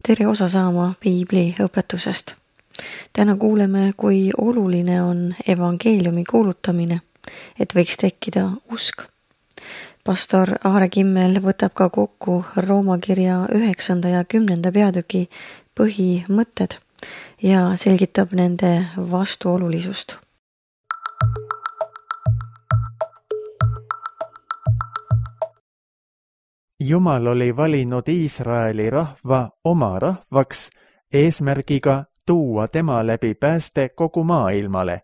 Tere osa saama piibli õpetusest. Täna kuuleme, kui oluline on evangeeliumi kuulutamine, et võiks tekkida usk. Pastor Aare Kimmel võtab ka kokku Rooma kirja 9. ja 10. peatüki põhimõtted ja selgitab nende vastuolulisust. Jumal oli valinud Iisraeli rahva oma rahvaks eesmärgiga tuua tema läbi pääste kogu maailmale.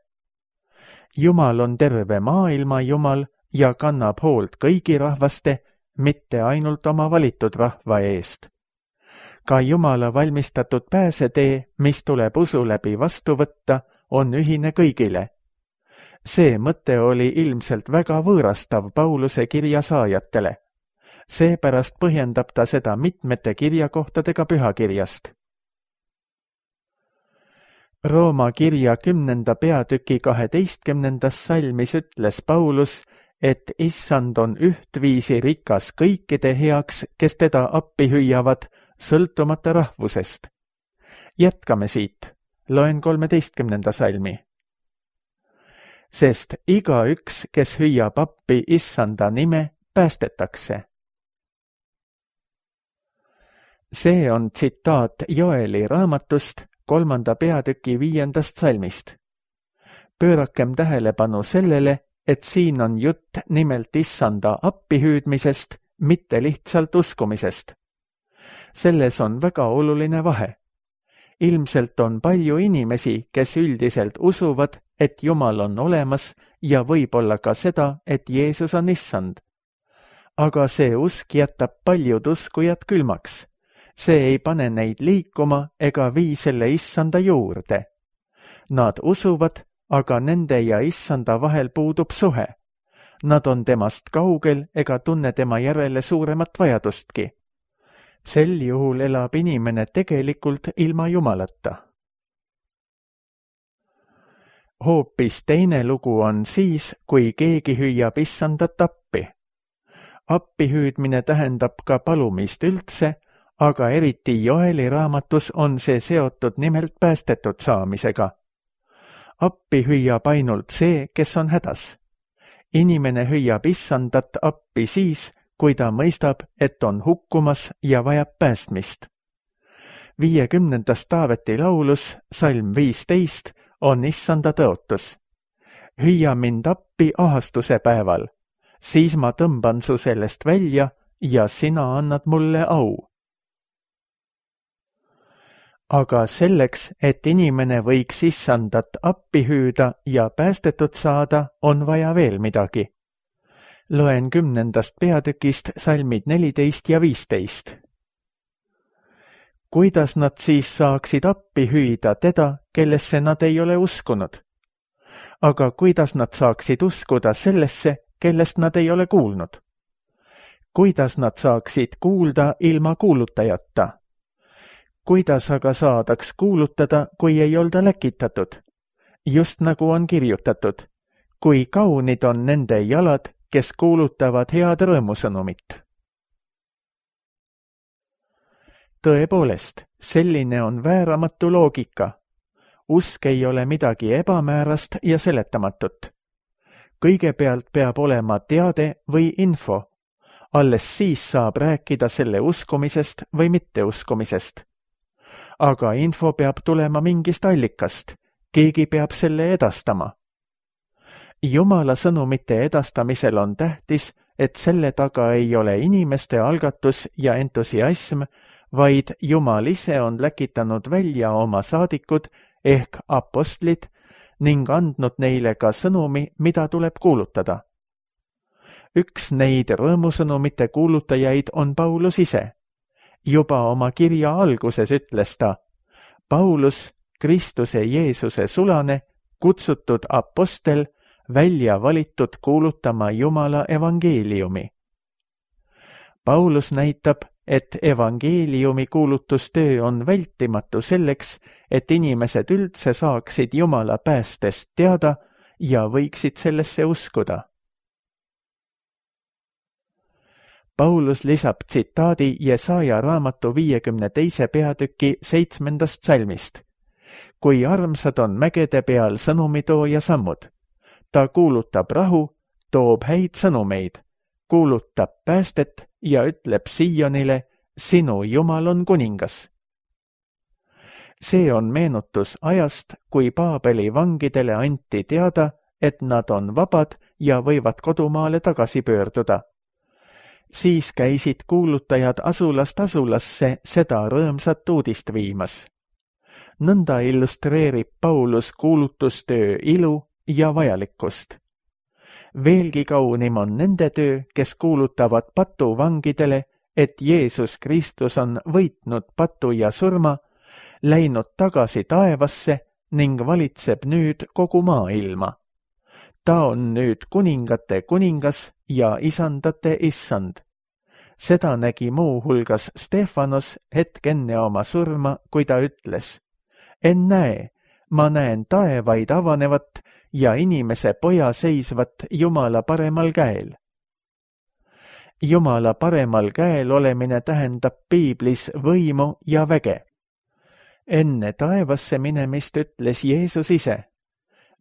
Jumal on terve maailma Jumal ja kannab hoolt kõigi rahvaste, mitte ainult oma valitud rahva eest. Ka Jumala valmistatud pääsetee, mis tuleb usu läbi vastu võtta, on ühine kõigile. See mõte oli ilmselt väga võõrastav Pauluse kirja saajatele. Seepärast põhjendab ta seda mitmete kirjakohtadega pühakirjast. Rooma kirja 10. peatüki 12. salmis ütles Paulus, et issand on ühtviisi rikas kõikide heaks, kes teda appi hüüavad, sõltumata rahvusest. Jätkame siit, loen 13. salmi. Sest igaüks, kes hüüab appi issanda nime, päästetakse. See on tsitaat Joeli raamatust 3. peatüki 5. salmist. Pöörakem tähelepanu sellele, et siin on jutt nimelt issanda appihüüdmisest, mitte lihtsalt uskumisest. Selles on väga oluline vahe. Ilmselt on palju inimesi, kes üldiselt usuvad, et Jumal on olemas ja võib-olla ka seda, et Jeesus on issand. Aga see usk jätab paljud uskujad külmaks. See ei pane neid liikuma ega vii selle issanda juurde. Nad usuvad, aga nende ja issanda vahel puudub suhe. Nad on temast kaugel ega tunne tema järele suuremat vajadustki. Sel juhul elab inimene tegelikult ilma Jumalata. Hoopis teine lugu on siis, kui keegi hüüab issandat appi. Appihüüdmine tähendab ka palumist üldse, aga eriti Joeli raamatus on see seotud nimelt päästetud saamisega. Appi hüüab ainult see, kes on hädas. Inimene hüüab issandat appi siis, kui ta mõistab, et on hukkumas ja vajab päästmist. 50. Taaveti laulus, salm 15, on issanda tõotus. Hüüa mind appi ahastuse päeval, siis ma tõmban su sellest välja ja sina annad mulle au. Aga selleks, et inimene võiks issandat appi hüüda ja päästetud saada, on vaja veel midagi. Loen 10. peatükist salmid 14 ja 15. Kuidas nad siis saaksid appi hüüda teda, kellesse nad ei ole uskunud? Aga kuidas nad saaksid uskuda sellesse, kellest nad ei ole kuulnud? Kuidas nad saaksid kuulda ilma kuulutajata? Kuidas aga saadaks kuulutada, kui ei olda läkitatud? Just nagu on kirjutatud, kui kaunid on nende jalad, kes kuulutavad head rõõmusõnumit. Tõepoolest, selline on vääramatu loogika. Usk ei ole midagi ebamäärast ja seletamatut. Kõigepealt peab olema teade või info. Alles siis saab rääkida selle uskumisest või mitteuskumisest. Aga info peab tulema mingist allikast. Keegi peab selle edastama. Jumala sõnumite edastamisel on tähtis, et selle taga ei ole inimeste algatus ja entusiasm, vaid Jumal ise on läkitanud välja oma saadikud ehk apostlid ning andnud neile ka sõnumi, mida tuleb kuulutada. Üks neid rõõmusõnumite kuulutajaid on Paulus ise. Juba oma kirja alguses ütles ta, Paulus, Kristuse Jeesuse sulane, kutsutud apostel, välja valitud kuulutama Jumala evangeeliumi. Paulus näitab, et evangeeliumi kuulutustöö on vältimatu selleks, et inimesed üldse saaksid Jumala päästest teada ja võiksid sellesse uskuda. Paulus lisab tsitaadi Jesaja raamatu 52. peatüki 7. salmist. Kui armsad on mägede peal sõnumitooja sammud. Ta kuulutab rahu, toob häid sõnumeid, kuulutab päästet ja ütleb Siionile, sinu Jumal on kuningas. See on meenutus ajast, kui Paabeli vangidele anti teada, et nad on vabad ja võivad kodumaale tagasi pöörduda. Siis käisid kuulutajad asulast asulasse seda rõõmsat uudist viimas. Nõnda illustreerib Paulus kuulutustöö ilu ja vajalikkust. Veelgi kaunim on nende töö, kes kuulutavad patuvangidele, et Jeesus Kristus on võitnud patu ja surma, läinud tagasi taevasse ning valitseb nüüd kogu maailma. Ta on nüüd kuningate kuningas ja isandate issand. Seda nägi muu hulgas Stefanos hetk enne oma surma, kui ta ütles, ennäe, ma näen taevaid avanevat ja inimese poja seisvat Jumala paremal käel. Jumala paremal käel olemine tähendab piiblis võimu ja väge. Enne taevasse minemist ütles Jeesus ise,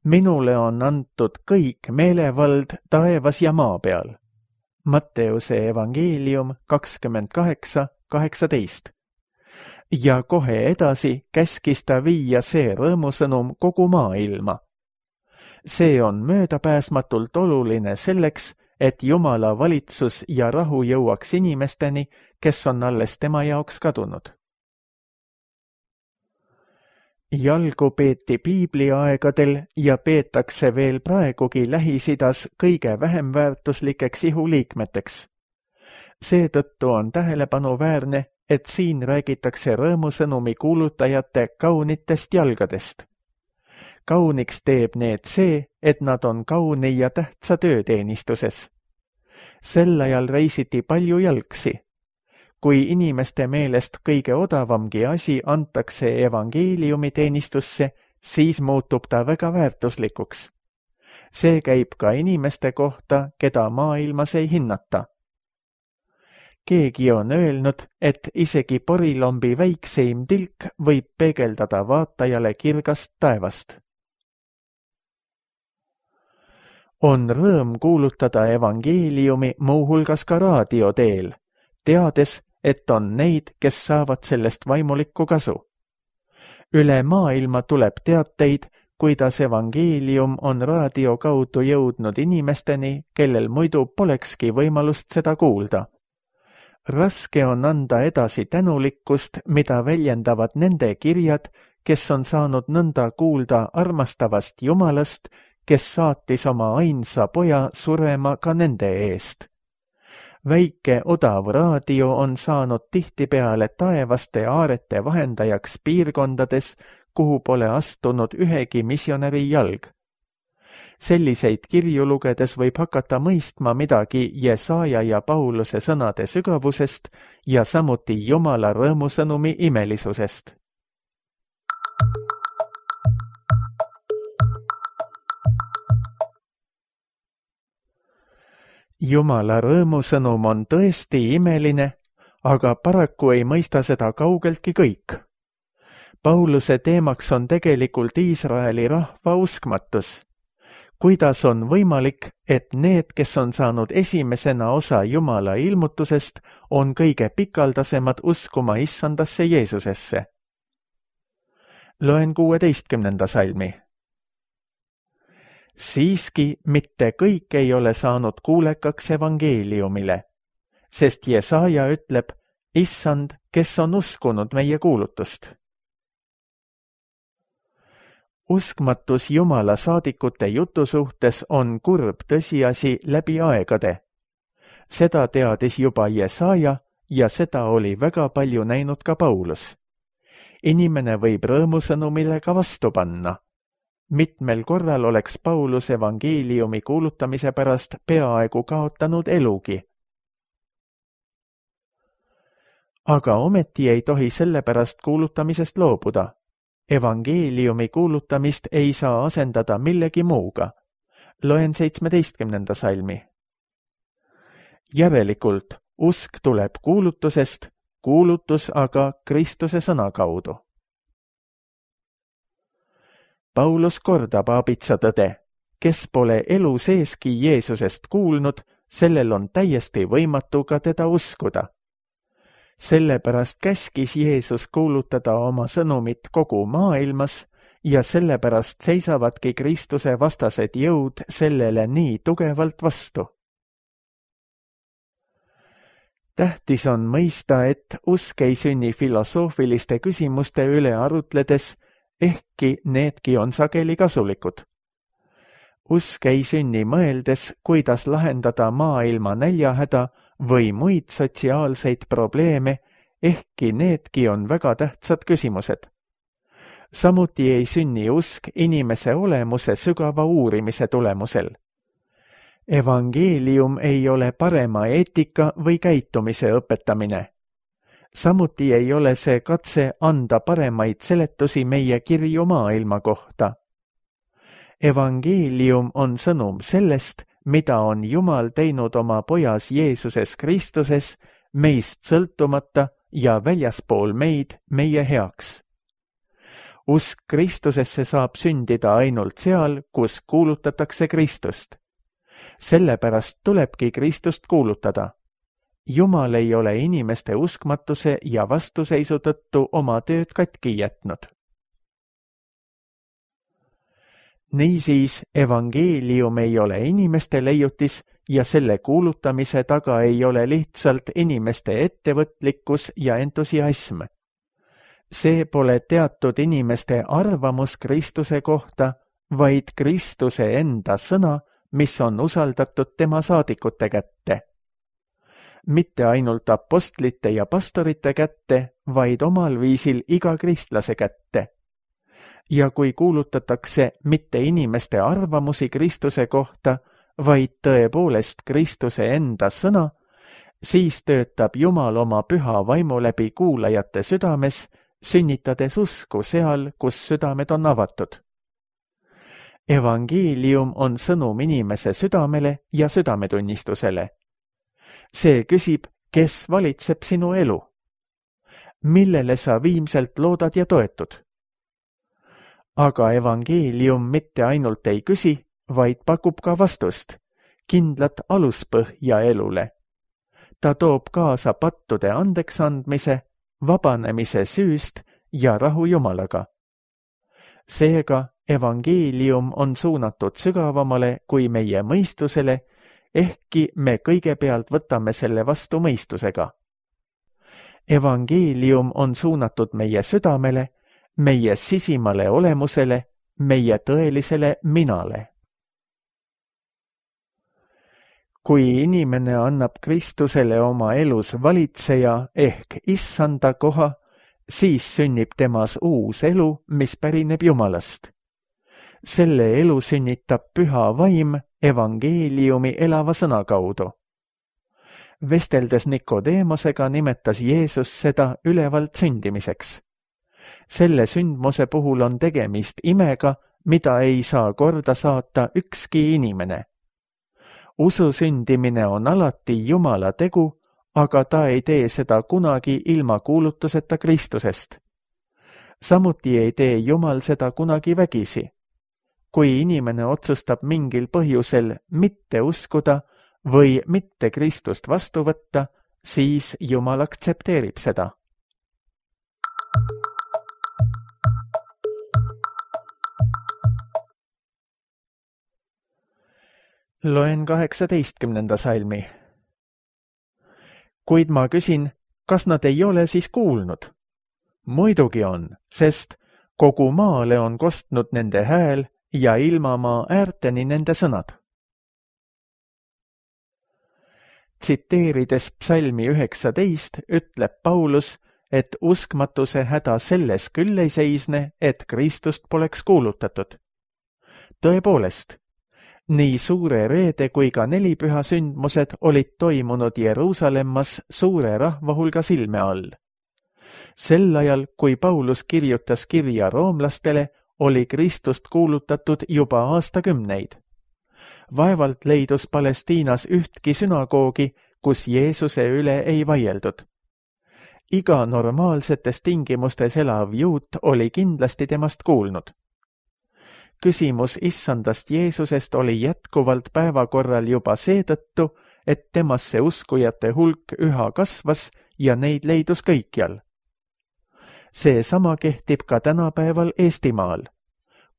minule on antud kõik meelevald taevas ja maa peal. Matteuse evangeelium 28:18. Ja kohe edasi käskis ta viia see rõõmusõnum kogu maailma. See on möödapääsmatult oluline selleks, et Jumala valitsus ja rahu jõuaks inimesteni, kes on alles tema jaoks kadunud. Jalgu peeti piibliaegadel ja peetakse veel praegugi Lähis-Idas kõige vähem väärtuslikeks ihuliikmeteks. Seetõttu on tähelepanuväärne, et siin räägitakse rõõmusõnumi kuulutajate kaunitest jalgadest. Kauniks teeb need see, et nad on kauni ja tähtsa tööteenistuses. Sel ajal reisiti palju jalgsi. Kui inimeste meelest kõige odavamgi asi antakse evangeeliumi teenistusse, siis muutub ta väga väärtuslikuks. See käib ka inimeste kohta, keda maailmas ei hinnata. Keegi on öelnud, et isegi porilombi väikseim tilk võib peegeldada vaatajale kirgast taevast. On rõõm kuulutada evangeeliumi muuhulgas ka raadio teel, teades, et on neid, kes saavad sellest vaimulikku kasu. Üle maailma tuleb teateid, kuidas evangeelium on raadio kaudu jõudnud inimesteni, kellel muidu polekski võimalust seda kuulda. Raske on anda edasi tänulikkust, mida väljendavad nende kirjad, kes on saanud nõnda kuulda armastavast Jumalast, kes saatis oma ainsa poja surema ka nende eest. Väike odav raadio on saanud tihtipeale taevaste aarete vahendajaks piirkondades, kuhu pole astunud ühegi missionäri jalg. Selliseid kirju lugedes võib hakata mõistma midagi Jesaja ja Pauluse sõnade sügavusest ja samuti Jumala rõõmusõnumi imelisusest. Jumala rõõmusõnum on tõesti imeline, aga paraku ei mõista seda kaugeltki kõik. Pauluse teemaks on tegelikult Iisraeli rahva uskmatus. Kuidas on võimalik, et need, kes on saanud esimesena osa Jumala ilmutusest, on kõige pikaldasemad uskuma issandasse Jeesusesse? Loen 16. salmi. Siiski mitte kõik ei ole saanud kuulekaks evangeeliumile, sest Jesaja ütleb, issand, kes on uskunud meie kuulutust. Uskmatus Jumala saadikute jutu suhtes on kurb tõsiasi läbi aegade. Seda teadis juba Jesaja ja seda oli väga palju näinud ka Paulus. Inimene võib rõõmusõnumile ka vastu panna. Mitmel korral oleks Paulus evangeeliumi kuulutamise pärast peaaegu kaotanud elugi. Aga ometi ei tohi selle pärast kuulutamisest loobuda. Evangeeliumi kuulutamist ei saa asendada millegi muuga. Loen 17. salmi. Järelikult Usk tuleb kuulutusest, kuulutus aga Kristuse sõna kaudu. Paulus kordab aabitsa tõde, kes pole elu seeski Jeesusest kuulnud, sellel on täiesti võimatu ka teda uskuda. Sellepärast käskis Jeesus kuulutada oma sõnumit kogu maailmas ja sellepärast seisavadki Kristuse vastased jõud sellele nii tugevalt vastu. Tähtis on mõista, et usk ei sünni filosoofiliste küsimuste üle arutledes, ehkki needki on sageli kasulikud. Usk ei sünni mõeldes, kuidas lahendada maailma näljahäda või muid sotsiaalseid probleeme, ehkki needki on väga tähtsad küsimused. Samuti ei sünni usk inimese olemuse sügava uurimise tulemusel. Evangeelium ei ole parema eetika või käitumise õpetamine. Samuti ei ole see katse anda paremaid seletusi meie kirju maailma kohta. Evangeelium on sõnum sellest, mida on Jumal teinud oma pojas Jeesuses Kristuses, meist sõltumata ja väljaspool meid meie heaks. Usk Kristusesse saab sündida ainult seal, kus kuulutatakse Kristust. Sellepärast tulebki Kristust kuulutada. Jumal ei ole inimeste uskmatuse ja vastuseisu tõttu oma tööd katki jätnud. Niisiis, evangeelium ei ole inimeste leiutis ja selle kuulutamise taga ei ole lihtsalt inimeste ettevõtlikkus ja entusiasm. See pole teatud inimeste arvamus Kristuse kohta, vaid Kristuse enda sõna, mis on usaldatud tema saadikute kätte. Mitte ainult apostlite ja pastorite kätte, vaid omal viisil iga kristlase kätte. Ja kui kuulutatakse mitte inimeste arvamusi Kristuse kohta, vaid tõepoolest Kristuse enda sõna, siis töötab Jumal oma püha vaimu läbi kuulajate südames, sünnitades usku seal, kus südamed on avatud. Evangeelium on sõnum inimese südamele ja südametunnistusele. See küsib, kes valitseb sinu elu? Millele sa viimselt loodad ja toetud? Aga evangeelium mitte ainult ei küsi, vaid pakub ka vastust, kindlat aluspõhja elule. Ta toob kaasa pattude andeksandmise, vabanemise süüst ja rahu Jumalaga. Seega evangeelium on suunatud sügavamale kui meie mõistusele, ehkki me kõigepealt võtame selle vastu mõistusega. Evangeelium on suunatud meie südamele, meie sisimale olemusele, meie tõelisele minale. Kui inimene annab Kristusele oma elus valitseja ehk issanda koha, siis sünnib temas uus elu, mis pärineb Jumalast. Selle elu sünnitab püha vaim evangeeliumi elava sõna kaudu. Vesteldes Nikodeemosega nimetas Jeesus seda ülevalt sündimiseks. Selle sündmuse puhul on tegemist imega, mida ei saa korda saata ükski inimene. Usu sündimine on alati Jumala tegu, aga ta ei tee seda kunagi ilma kuulutuseta Kristusest. Samuti ei tee Jumal seda kunagi vägisi. Kui inimene otsustab mingil põhjusel mitte uskuda või mitte Kristust vastu võtta, siis Jumal aktsepteerib seda. Loen 18. salmi. Kuid ma küsin, kas nad ei ole siis kuulnud? Muidugi on, sest kogu maale on kostnud nende hääl ja ilmamaa äärteni nende sõnad. Tsiteerides psalmi 19 ütleb Paulus, et uskmatuse häda selles küll ei seisne, et Kristust poleks kuulutatud. Tõepoolest, nii suure reede kui ka nelipüha sündmused olid toimunud Jeruusalemmas suure rahva hulga silme all. Sel ajal, kui Paulus kirjutas kirja roomlastele, oli Kristust kuulutatud juba aastakümneid. Vaevalt leidus Palestiinas ühtki sünagoogi, kus Jeesuse üle ei vaieldud. Iga normaalsetes tingimustes elav juut oli kindlasti temast kuulnud. Küsimus issandast Jeesusest oli jätkuvalt päevakorral juba seetõttu, et temasse uskujate hulk üha kasvas ja neid leidus kõikjal. Seesama kehtib ka tänapäeval Eestimaal.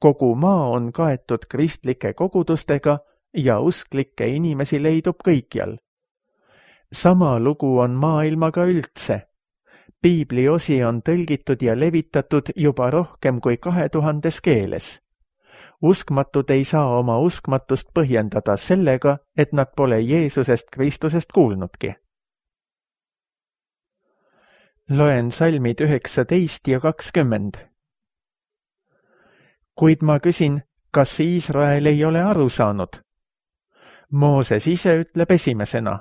Kogu maa on kaetud kristlike kogudustega ja usklikke inimesi leidub kõikjal. Sama lugu on maailmaga üldse. Piibli osi on tõlgitud ja levitatud juba rohkem kui 2000 keeles. Uskmatud ei saa oma uskmatust põhjendada sellega, et nad pole Jeesusest Kristusest kuulnudki. Loen salmid 19 ja 20. Kuid ma küsin, kas Iisrael ei ole aru saanud? Mooses ise ütleb esimesena,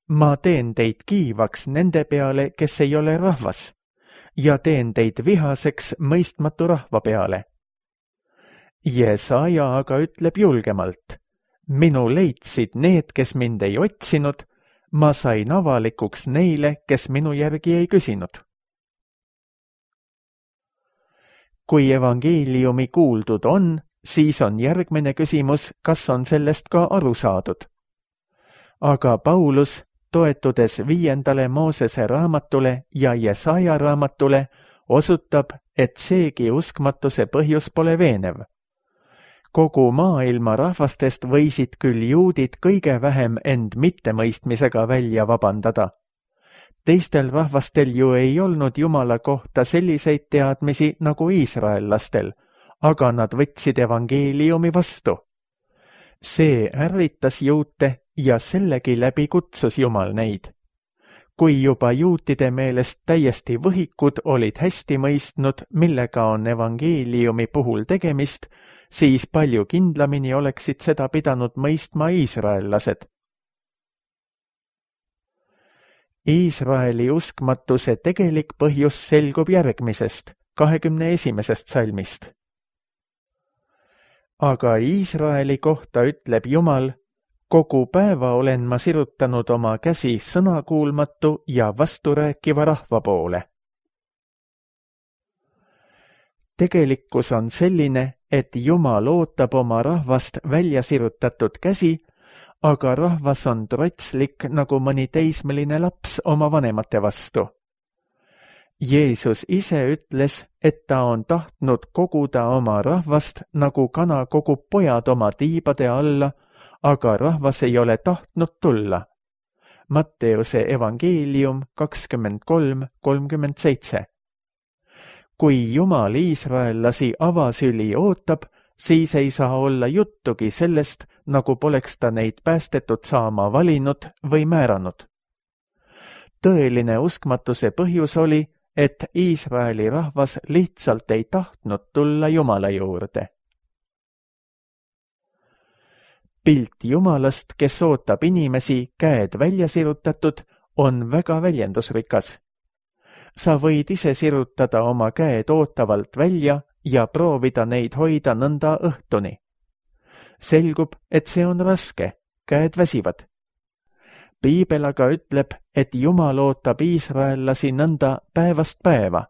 ma teen teid kiivaks nende peale, kes ei ole rahvas, ja teen teid vihaseks mõistmatu rahva peale. Jesaja aga ütleb julgemalt, minu leidsid need, kes mind ei otsinud, ma sain avalikuks neile, kes minu järgi ei küsinud. Kui evangeeliumi kuuldud on, siis on järgmine küsimus, kas on sellest ka aru saadud. Aga Paulus, toetudes 5. Moosese raamatule ja Jesaja raamatule, osutab, et seegi uskmatuse põhjus pole veenev. Kogu maailma rahvastest võisid küll juudid kõige vähem end mittemõistmisega välja vabandada. Teistel rahvastel ju ei olnud Jumala kohta selliseid teadmisi nagu iisraellastel, aga nad võtsid evangeeliumi vastu. See ärritas juute ja sellegi läbi kutsus Jumal neid. Kui juba juutide meelest täiesti võhikud olid hästi mõistnud, millega on evangeeliumi puhul tegemist, siis palju kindlamini oleksid seda pidanud mõistma iisraellased. Iisraeli uskmatuse tegelik põhjus selgub järgmisest, 21. salmist. Aga Iisraeli kohta ütleb Jumal, kogu päeva olen ma sirutanud oma käsi sõnakuulmatu ja vasturääkiva rahva poole. Tegelikkus on selline, et Jumal ootab oma rahvast välja sirutatud käsi, aga rahvas on trotslik nagu mõni teismeline laps oma vanemate vastu. Jeesus ise ütles, et ta on tahtnud koguda oma rahvast, nagu kana kogub pojad oma tiibade alla, aga rahvas ei ole tahtnud tulla. Matteuse evangeelium 23:37. Kui Jumal iisraellasi avasüli ootab, siis ei saa olla juttugi sellest, nagu poleks ta neid päästetud saama valinud või määranud. Tõeline uskmatuse põhjus oli, et Iisraeli rahvas lihtsalt ei tahtnud tulla Jumala juurde. Pilt Jumalast, kes ootab inimesi käed välja sirutatud, on väga väljendusrikas. Sa võid ise sirutada oma käed ootavalt välja ja proovida neid hoida nõnda õhtuni. Selgub, et see on raske, käed väsivad. Piibel aga ütleb, et Jumal ootab iisraellasi nõnda päevast päeva.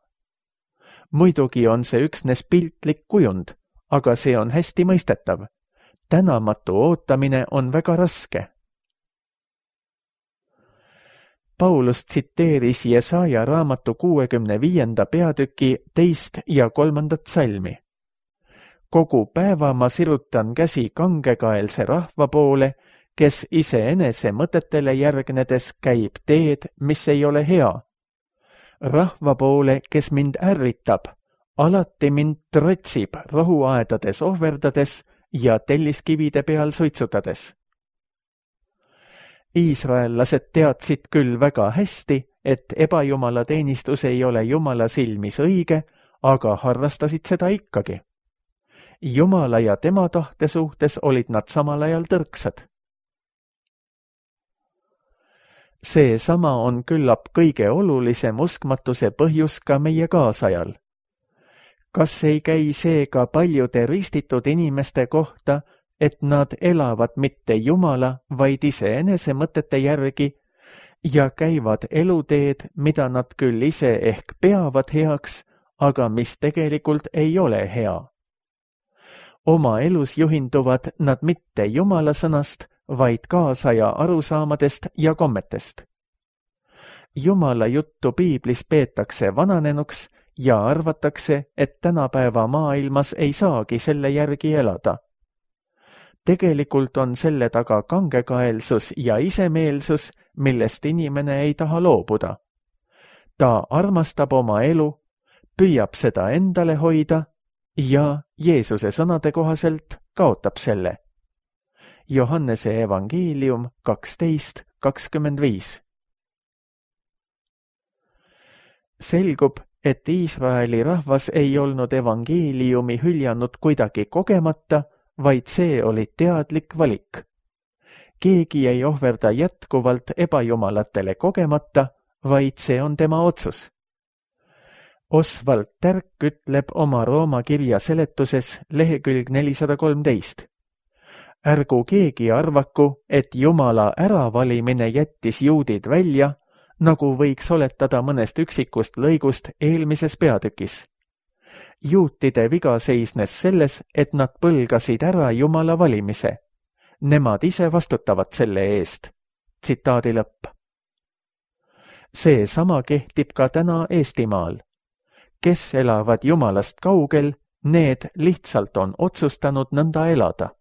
Muidugi on see üksnes piltlik kujund, aga see on hästi mõistetav. Tänamatu ootamine on väga raske. Paulus tsiteeris Jesaja raamatu 65. peatüki 2. ja 3. salmi. Kogu päeva ma sirutan käsi kangekaelse rahva poole, kes iseenese mõtetele järgnedes käib teed, mis ei ole hea. Rahva poole, kes mind ärritab, alati mind trotsib rohuaedades ohverdades ja telliskivide peal suitsutades. Iisraellased teadsid küll väga hästi, et ebajumala teenistus ei ole Jumala silmis õige, aga harrastasid seda ikkagi. Jumala ja tema tahte suhtes olid nad samal ajal tõrksad. Seesama on küllap kõige olulisem uskmatuse põhjus ka meie kaasajal. Kas ei käi see ka paljude ristitud inimeste kohta, et nad elavad mitte Jumala, vaid iseenese mõtete järgi ja käivad eluteed, mida nad küll ise ehk peavad heaks, aga mis tegelikult ei ole hea. Oma elus juhinduvad nad mitte Jumala sõnast, vaid kaasaja arusaamadest ja kommetest. Jumala juttu piiblis peetakse vananenuks ja arvatakse, et tänapäeva maailmas ei saagi selle järgi elada. Tegelikult on selle taga kangekaelsus ja isemeelsus, millest inimene ei taha loobuda. Ta armastab oma elu, püüab seda endale hoida ja Jeesuse sõnade kohaselt kaotab selle. Johannese evangeelium 12:25. Selgub, et Iisraeli rahvas ei olnud evangeeliumi hüljanud kuidagi kogemata, vaid see oli teadlik valik. Keegi ei ohverda jätkuvalt ebajumalatele kogemata, vaid see on tema otsus. Oswald Tärk ütleb oma Rooma kirja seletuses lehekülg 413. Ärgu keegi arvaku, et Jumala äravalimine jättis juudid välja, nagu võiks oletada mõnest üksikust lõigust eelmises peatükis. Juutide viga seisnes selles, et nad põlgasid ära Jumala valimise. Nemad ise vastutavad selle eest. Tsitaadi lõpp. See sama kehtib ka täna Eestimaal. Kes elavad Jumalast kaugel, need lihtsalt on otsustanud nõnda elada.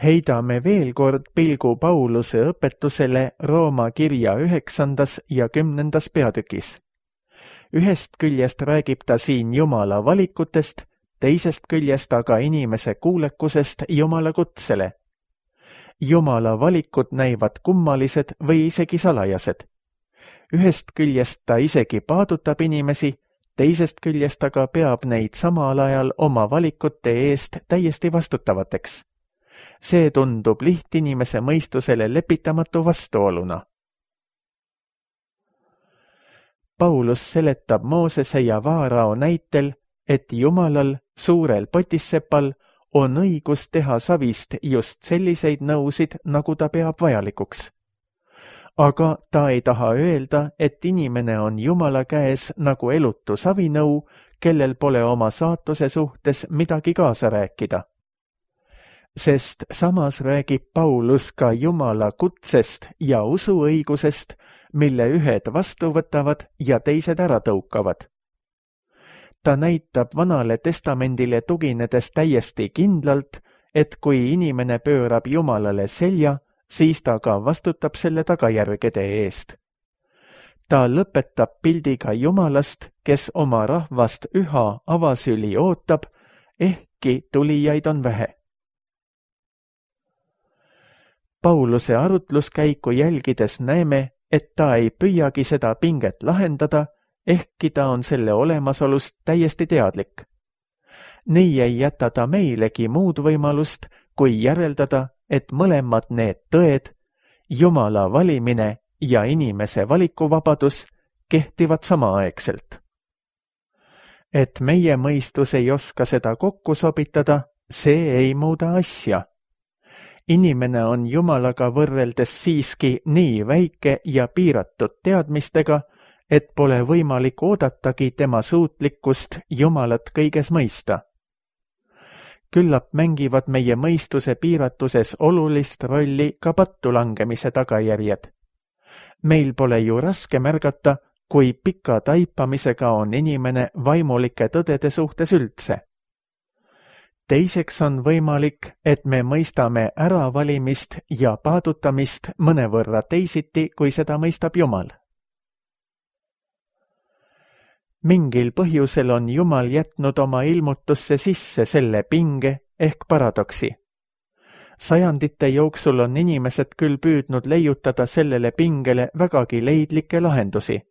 Heidame veel kord pilgu Pauluse õpetusele Rooma kirja 9. ja 10. peatükis. Ühest küljest räägib ta siin Jumala valikutest, teisest küljest aga inimese kuulekusest Jumala kutsele. Jumala valikud näivad kummalised või isegi salajased. Ühest küljest ta isegi paadutab inimesi, teisest küljest aga peab neid samal ajal oma valikute eest täiesti vastutavateks. See tundub lihtinimese mõistusele lepitamatu vastuoluna. Paulus seletab Moosese ja Vaarao näitel, et Jumalal, suurel potissepal, on õigus teha savist just selliseid nõusid, nagu ta peab vajalikuks. Aga ta ei taha öelda, et inimene on Jumala käes nagu elutu savinõu, kellel pole oma saatuse suhtes midagi kaasa rääkida. Sest samas räägib Paulus ka Jumala kutsest ja usuõigusest, mille ühed vastu võtavad ja teised ära tõukavad. Ta näitab Vanale Testamendile tuginedes täiesti kindlalt, et kui inimene pöörab Jumalale selja, siis ta ka vastutab selle tagajärgede eest. Ta lõpetab pildiga Jumalast, kes oma rahvast üha avasüli ootab, ehkki tulijaid on vähe. Pauluse arutluskäiku jälgides näeme, et ta ei püüagi seda pinget lahendada, ehkki ta on selle olemasolust täiesti teadlik. Nii ei jäta ta meilegi muud võimalust, kui järeldada, et mõlemad need tõed, Jumala valimine ja inimese valikuvabadus, kehtivad samaaegselt. Et meie mõistus ei oska seda kokku sobitada, see ei muuda asja. Inimene on Jumalaga võrreldes siiski nii väike ja piiratud teadmistega, et pole võimalik oodatagi tema suutlikkust Jumalat kõiges mõista. Küllap mängivad meie mõistuse piiratuses olulist rolli ka pattu langemise tagajärjed. Meil pole ju raske märgata, kui pika taipamisega on inimene vaimulike tõdede suhtes üldse. Teiseks on võimalik, et me mõistame äravalimist ja paadutamist mõnevõrra teisiti, kui seda mõistab Jumal. Mingil põhjusel on Jumal jätnud oma ilmutusse sisse selle pinge ehk paradoksi. Sajandite jooksul on inimesed küll püüdnud leiutada sellele pingele vägagi leidlikke lahendusi.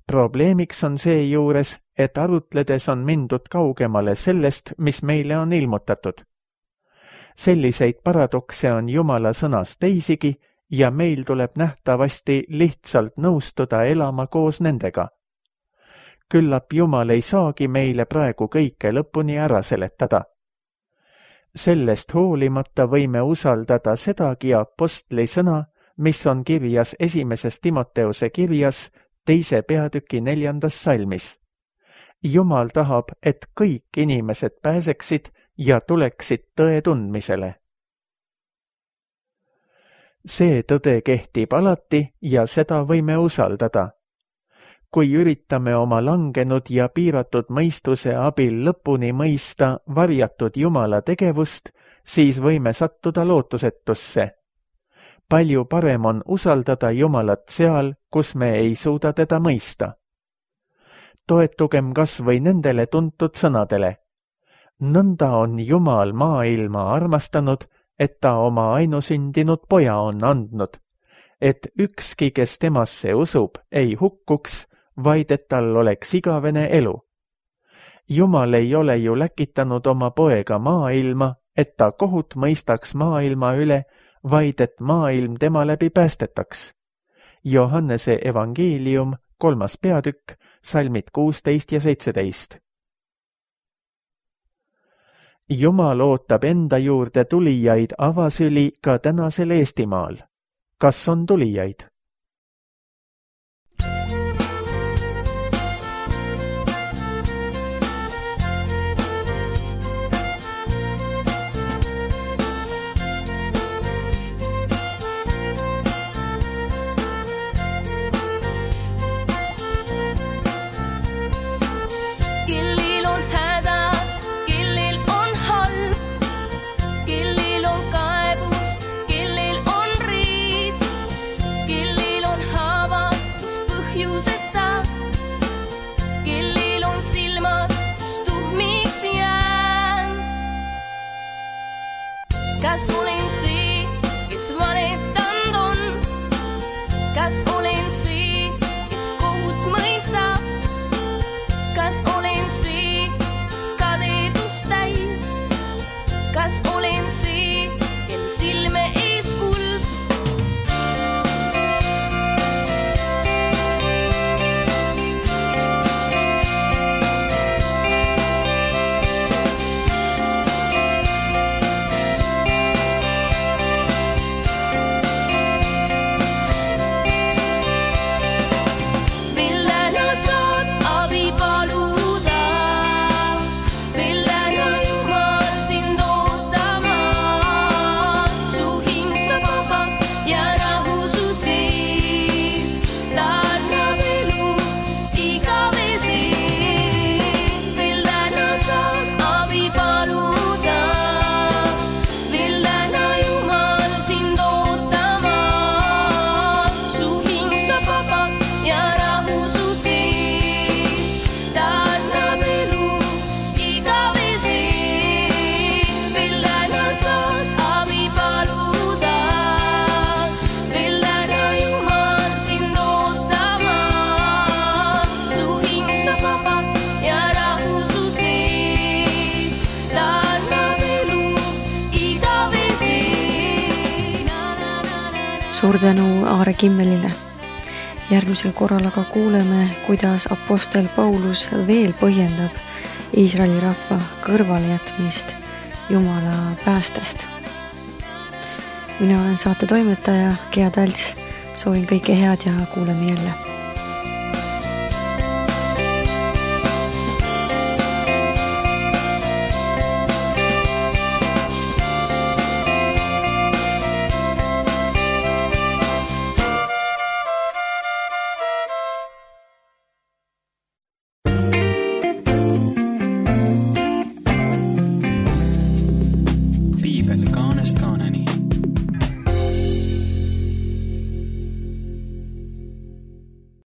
Probleemiks on seejuures, et arutledes on mindud kaugemale sellest, mis meile on ilmutatud. Selliseid paradokse on Jumala sõnas teisigi ja meil tuleb nähtavasti lihtsalt nõustuda elama koos nendega. küllap Jumal ei saagi meile praegu kõike lõpuni ära seletada. Sellest hoolimata võime usaldada sedagi apostli sõna, mis on kirjas 1. Timoteuse kirjas 2. peatüki 4. salmis. Jumal tahab, et kõik inimesed pääseksid ja tuleksid tõe tundmisele. See tõde kehtib alati ja seda võime usaldada. Kui üritame oma langenud ja piiratud mõistuse abil lõpuni mõista varjatud Jumala tegevust, siis võime sattuda lootusetusse. Palju parem on usaldada Jumalat seal, kus me ei suuda teda mõista. Toetugem kas või nendele tuntud sõnadele. Nõnda on Jumal maailma armastanud, et ta oma ainusündinud poja on andnud, et ükski, kes temasse usub, ei hukkuks, vaid et tal oleks igavene elu. Jumal ei ole ju läkitanud oma poega maailma, et ta kohut mõistaks maailma üle, vaid et maailm tema läbi päästetaks. Johannese evangeelium, 3. peatükk, salmid 16 ja 17. Jumal ootab enda juurde tulijaid avasüli ka tänasel Eestimaal. Kas on tulijaid? Kas olen see, kes valetanud on? Kas olen see, kes kohut mõistab? Kas olen see, kes kadedust täis? Kas olen see, kel silme ees kuld? Suur tänu Aare Kimmelile. Järgmisel korral aga kuuleme, kuidas apostel Paulus veel põhjendab Iisraeli rahva kõrvalejätmist Jumala päästest. Mina olen saate toimetaja Gea Talts. Soovin kõike head ja kuuleme jälle.